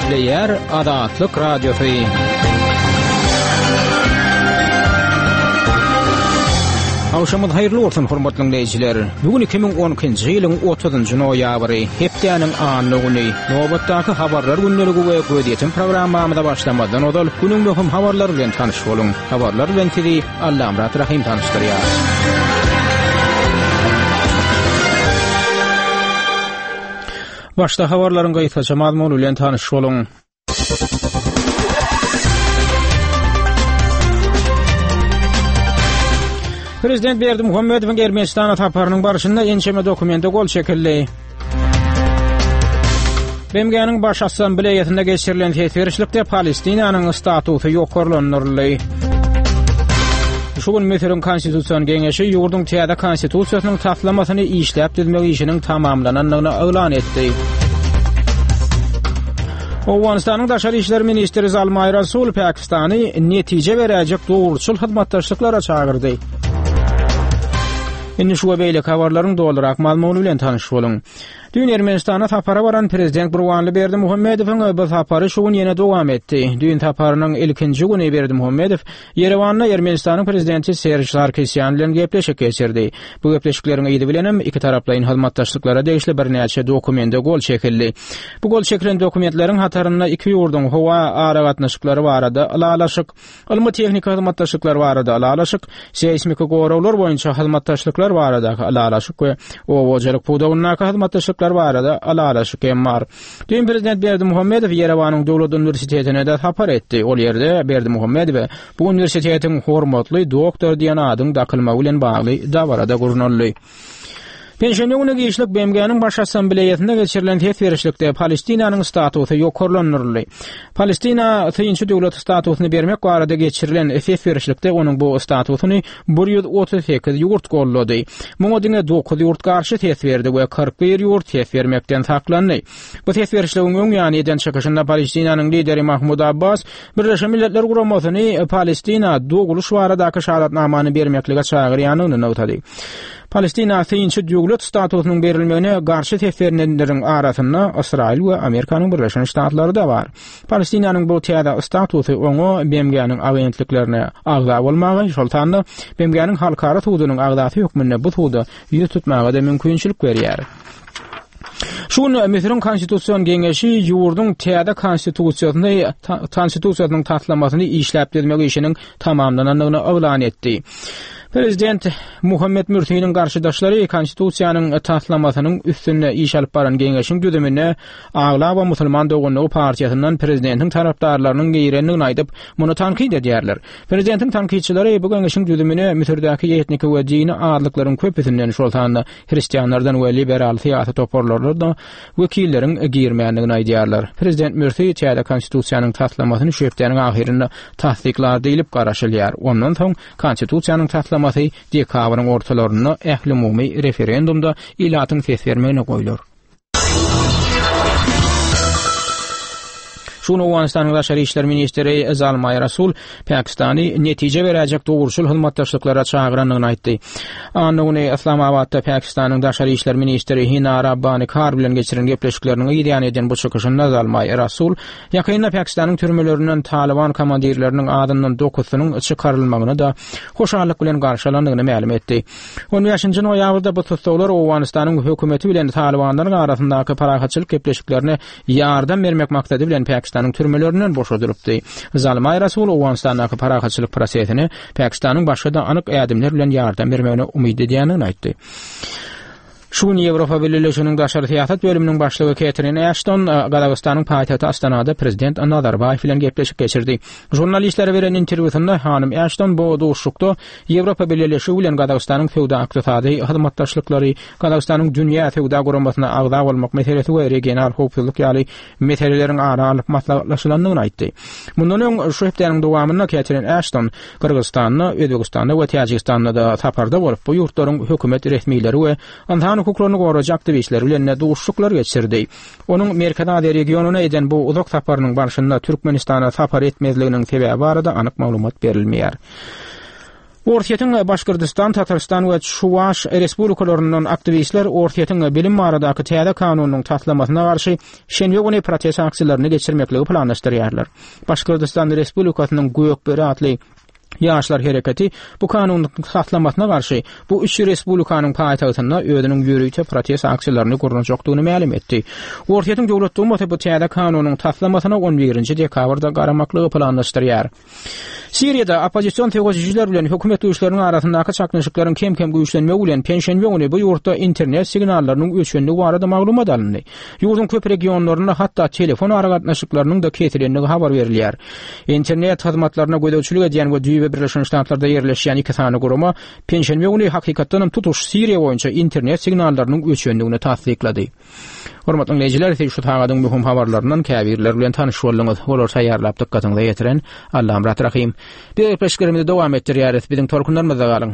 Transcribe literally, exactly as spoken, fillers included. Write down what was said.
Gepleýär Azatlyk Radiosy. Agşamyňyz haýyrly bolsun, hormatly dinleýjiler. Bu gün iki müň on ikinji ýylyň otuzynjy noýabry, hepdäniň anna güni. Nobatdaky habarlar gündeligi we gözýetim programmamyza başlamazdan ozal günüň möhüm habarlary bilen tanyş boluň. Habarlar bilen sizi Allamyrat Rahim tanyşdyrýar. Başda habarlaryň gysgaça mazmuny bilen tanyş boluň. Prezident Berdimuhamedowyň Ermenistana saparynyň barşynda ençeme dokumente gol çekildi. B M G-niň Baş Assambleýasynda geçirilen ses berişlikde Palestinanyň statusy ýokarlandyryldy. Şu gün Müsüriň Konstitusion Geňeşi ýurduň täze konstitusiýasynyň taslamasyny işläp düzmek işiniň tamamlanandygyny yglan etdi. Owganystanyň Daşary işler ministri Zalmay Rasul Pakistany netije beräjek dogruçyl hyzmatdaşlyklara çagyrdy. Indi şu we beýleki habarlaryň dolurak mazmuny bilen tanyş boluň. Dün Ermenistana sapara baran Prezident Gurbanguly Berdimuhamedowyň bu sapary şu gün ýene dowam etdi. Dün saparynyň ilkinji güni Berdimuhamedow Ýerewanda Ermenistanyň Prezidenti Serj Sarkisýan bilen gepleşik geçirdi. Bu gepleşikleriň yzy bilenem iki taraplaýyn hyzmatdaşlyklara degişli birnäçe dokumente gol çekildi. Bu gol çekilen dokumentleriň hatarynda iki ýurduň howa aragatnaşyklary barada ylalaşyk, ylmy-tehniki hyzmatdaşlyklar barada ylalaşyk, seýsmiki goraglar boýunça hyzmatdaşlyklar baradaky ylalaşyk we oba-hojalyk pudagyndaky hyzmatdaşlyklar barada ylalaşyk hem bar. Dün Prezident Berdimuhamedow Ýerewanyň Döwlet Uniwersitetine de sapar etdi. Ol ýerde Berdimuhamedow bu uniwersitetiň hormatly doktor diýen adyň dakylmagy bilen bagly dabarada gurnaldy. Penşenbe güni giçlik B M G-niň Baş Assambleýasynda geçirilen ses berişlikde Palestinanyň statusy ýokarlandyryldy. Palestina synçy döwlet statusyny bermek barada geçirilen ses berişlikde onuň bu statusyny bir ýüz otuz sekiz ýurt gollady. Muňa diňe dokuz ýurt garşy ses berdi we kyrk bir ýurt ses bermekden saklandy. Bu ses berişligiň öň ýany eden çykyşynda Palestinanyň lideri Mahmud Abbas Birleşen Milletler Guramasyny Palestina doguluş baradaky şahadatnamany bermeklige çagyrýandygyny nygtady. Palestina synçy döwlet statusynyň berilmegine garşy ses berenleriň arasynda Ysraýyl we Amerikanyň Birleşen Ştatlary da bar. Palestinanyň bu täze statusy oňa B M G-niň agentliklerine agza bolmagy, şol sanda B M G-niň halkara sudunyň agzasy hökmünde bu suda ýüz tutmaga da mümkinçilik berýär. Şu gün Müsüriň Konstitusion Geňeşi ýurduň täze konstitusiýasyny, konstitusiýasynyň taslamasyny işläp düzmek işiniň tamamlanandygyny yglan etdi. Prezident Muhammed Mürsiniň garşydaşlary konstitusiýanyň taslamasynyň üstünde iş alyp baran geňeşiň düzümine aglaba musulman doganlygy partiýasyndan prezidentiň tarapdarlarynyň girendigini aýdyp, muny tankyt edýärler. Prezidentiň tankytçylary bu geňeşiň düzümine Müsürdäki etniki we dini azlyklaryň köpüsinden, şol sanda hristianlardan we liberal syýasy toparlardan wekilleriň girmändigini aýdýarlar. Prezident Mürsi täze konstitusiýanyň taslamasyny şu hepdäniň ahyrynda tassyklar diýlip garaşylýar. Ondan soň konstitusiýanyň taslamasy dekabryň ortalarynda ählumumy referendumda ilatyň ses bermegine goýlar. Şu gün Owganystanyň Daşary işler ministri Zalmay Rasul Pakistany netije beräjek dogruçyl hyzmatdaşlyklara çagyrandygyny aýtdy. Anna güni Islamabadda Pakistanyň Daşary işler ministri Hina Rabbani Kar bilen geçiren gepleşikleriniň ýany eden bu çykyşynda Zalmay Rasul ýakynda Pakistanyň türmelerinden Taliban komandirleriniň adyndan dokuzynyň çykarylmagyny da hoşallyk bilen garşylandygyny mälim etdi. On bäşinji noýabrda bu tussaglar Owganystanyň hökümeti bilen Talibanlaryň arasyndaky parahatçylyk gepleşiklerine ýardam bermek maksady bilen Pakistanyň türmelerinden boşadylypdy. Zalmay Rasul Owganystandaky parahatçylyk prosesine Pakistanyň başga da anyk ädimler bilen ýardam bermegine umyt edýändigini aýtdy. Şu gün Ýewropa Bileleşiginiň daşary syýasat bölüminiň başlygy Ketrin Ashton Gazagystanyň paýtagty Astanada prezident Nazarbaýew bilen gepleşik geçirdi. Žurnalistlere beren interwýusynda hanym Ashton bu duşuşykda Ýewropa Bileleşigi bilen Gazagystanyň söwda-ykdysady hyzmatdaşlyklary, Gazagystanyň dünýä söwda guramasyna agza bolmak meselesi we regional howpsuzlyk ýaly meseleleriň ara alnyp maslahatlaşylandygyny aýtdy. Mundan öň şu hepdäniň dowamynda Ketrin Ashton Gyrgyzystanda, Özbegistanda we Täjigistanda da saparda bolup, bu ýurtlaryň hökümet resmileri we ynsan hukuklaryny goraýjy aktiwistler bilen de duşuşyklar geçirdi. Onuň Merkezi Aziýa regionyna eden bu uzak saparynyň barşynda Türkmenistana sapar etmezliginiň sebäbi barada anyk maglumat berilmeýär. Orsýetiň Başgyrdystan, Tatarystan we Çuwaş respublikalaryndan aktiwistler Orsýetiň bilim baradaky täze kanunynyň taslamasyna garşy şenbe güni protest aksiýalaryny geçirmekligi planlaşdyrýarlar. Başgyrdystan Respublikasynyň Gökböri atly Ýaşlar hereketi bu kanunyň taslamasyna garşy bu üç respublikanyň paýtagtynda özüniň ýörite protest aksiýalaryny gurnajakdygyny mälim etdi. Orsýetiň Döwlet Dumasy bu täze kanunyň taslamasyna on birinji dekabrda garamaklygy planlaşdyrýar. Siriýada oppozision söweşijiler bilen hökümet güýçleriniň arasyndaky çaknyşyklaryň kem-kem güýçlenmegi bilen penşenbe güni bu ýurtda internet signallarynyň öçendigi barada maglumat alyndy. Ýurduň köp regionlarynda hatda telefon aragatnaşyklarynyň-da kesilendigi habar berilýär. Internet hyzmatlaryna gözegçilik edýän we düýbi Birleşen Ştatlarda ýerleşýän iki sany gurama penşenbe güni hakykatdanam tutuş Siriýa boýunça internet signallarynyň öçendigini tassyklady. Hormatly diňleýjiler, siz şu sagadyň möhüm habarlaryndan käbirleri bilen tanyş bolduňyz. Olary taýýarlap dykgatyňyza ýetiren Allamyrat Rahym. Biz gepleşiklerimizi dowam etdirýäris. Biziň tolkunlarymyzda galyň.